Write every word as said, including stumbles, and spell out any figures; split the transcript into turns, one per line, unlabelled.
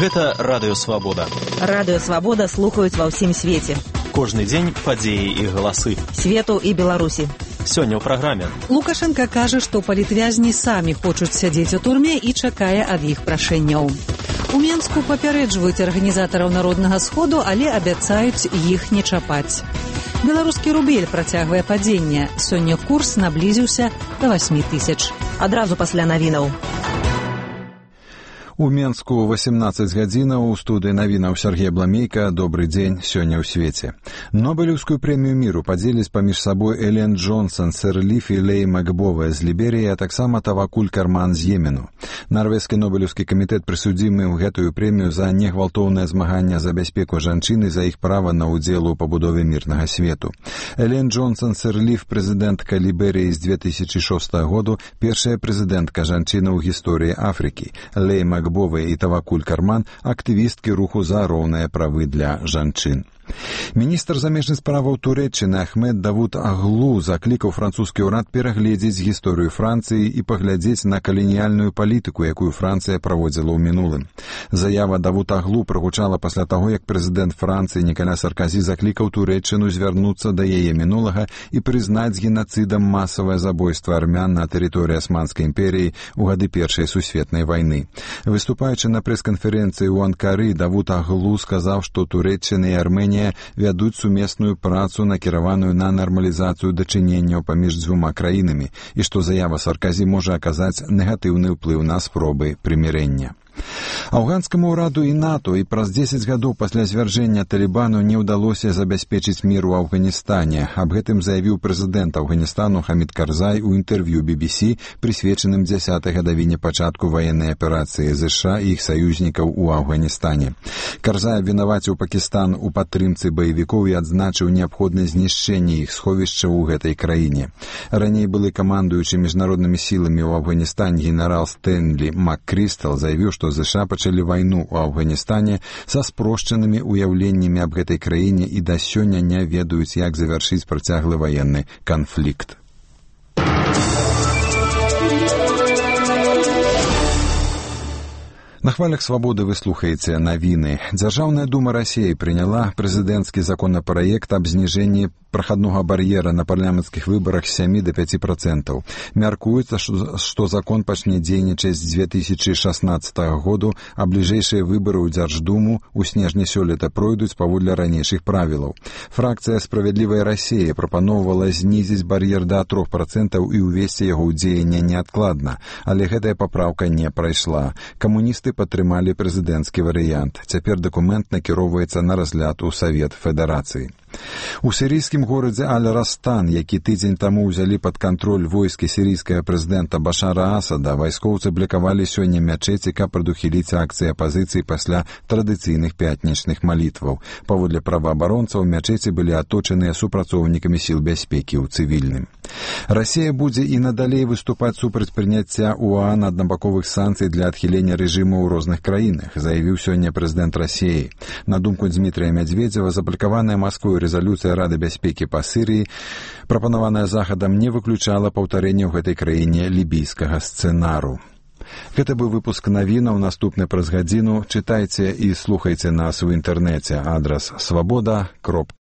Гэта Радыё Свабода.
Радыё Свабода слухаюць ва ўсім свеце.
Кожны дзень падзеі і галасы.
Свету і Беларусі.
Сёння ў праграме.
Лукашенка кажа, што палітвязні самі хочуць сядзець у турме і чакае ад іх прашэнняў. У Менску папярэджваюць арганізатараў Народнага сходу, але абяцаюць іх не чапаць. Беларускі рубель працягвае падзенне. Сёння курс наблізіўся да васьмі тысяч.
Адразу пасля навінаў.
У Менску восемнадцаць гадзінаў, у студыі навінаў Сергей Бламейка. Добрый дзень, сёння ў свеце. Нобелеўскую прэмію міру падзеляць паміж сабой Элен Джонсон, Сирлиф і Лей Макбовая з Ліберыі, а таксама Тавакуль Карман з Йемену. Нарвежскі нобелеўскі камітэт прысудзіў ім гэтую прэмію за негвалтоўнае змаганне за бяспеку жанчын і за іх права на ўдзел у пабудове мірнага свету. Элен Джонсон Сирлиф, прэзідэнтка Ліберыі з две тысячы шостага году, першая прэзідэнтка жанчына ў гісторыі Афрыкі. Лей Макбовая і Тавакуль Карман – актывісткі руху за роўныя правы для жанчын. Міністр замежных справаў Турэччыны Ахмед Давуд Аглу заклікаў французскі ўрад перагледзець гісторыю Францыі і паглядзець на каланіяльную палітыку, якую Францыя праводзіла ў мінулым. Заява Давуд Аглу прагучала пасля таго, як прэзідэнт Францыі Нікаля Сарказі заклікаў Турэччыну звярнуцца да яе мінулага і прызнаць генацыдам масавае забойства армян на тэрыторыі Асманскай імперіі ў гады Першай сусветнай вайны. Выступаючы на прэс-канферэнцыі ў Анкары, Давуд Аглу сказаў, што Турэччына і Армэнія вядуць сумесную працу, накіраваную на нармалізацыю дачыненняў паміж дзвюма краінамі, і што заява Сарказі можа аказаць негатыўны ўплыў на спробы прымірэння. Афганскаму ўраду і НАТО і праз дзесяць гадоў пасля звяржэння Талібану не ўдалося забяспечыць мір у Афганістане. Аб гэтым заявіў прэзідэнт Афганістану Хамід Карзай у інтэрв'ю би би сі, прысвечаным дзясятай гадавіне пачатку ваеннай аперацыі ЗША і іх саюзнікаў у Афганістане. Карзай абвінаваціў Пакістан у падтрымцы баевікоў і адзначыў неабходнае знішчэнне іх сховішча ў гэтай краіне. Раней былы камандуючы міжнароднымі сіламі ў Афганістане генерал Стэнлі МакКрыстал заявіў, што ЗША пачалі вайну ў Афганістане са спрошчанымі ўяўленнямі аб гэтай краіне і да сёння не ведаюць, як завяршыць працяглы ваенны канфлікт. На хвалях свабоды вы слухаеце навіны. Дзяржаўная дума Расіі прыняла прэзідэнцкі законапраект аб зніжэнні прахаднога бар'ера на парламенцкіх выбарах з сямі да пяці працэнтаў. Мяркуецца, што закон пачне дзейнічаць з две тысячы шаснаццатага году, а бліжэйшыя выбары ў Дзярждуму ў снежні сёлета пройдуць паводле ранейшых правілаў. Фракцыя «Справядлівая Расія» прапаноўвала знізіць бар'ер да трох працэнтаў і ўвесці яго ў дзеянне неадкладна, але гэтая папраўка не прайшла. Камуністы падтрымалі прэзідэнцкі варыянт. Цяпер дакумент накіроўваецца на разгляд у Савет Федэрацыі. У сірійскім горадзе Аль-Растан, які тыдзень таму ўзялі пад кантроль войскі сірійскага прэзідэнта Башара Асада, вайскоўцы блакавалі сёння мячэці, каб прадухіліць акцыі апазіцыі пасля традыцыйных пятнічных малітваў. Паводле праваабаронцаў, мячэці былі аточаныя супрацоўнікамі сіл бяспекі ў цывільным. Расія будзе і надалей выступаць супраць прыняцця ОАН аднабаковых санкцый для адхілення рэжыму ў розных краінах, заявіў сёння прэзідэнт Расіі. На думку Дмітрія Мядзведзева, заблакаваная Масквой рэзалюцыя Рады бяспекі па Сірыі, прапанаваная Захадам, не выключала паўтарэння ў гэтай краіне лібійскага сцэнару. Гэта быў выпуск навінаў. Наступны праз гадзіну. Чытайце і слухайце нас у інтэрнэце. Адрас свабода кропка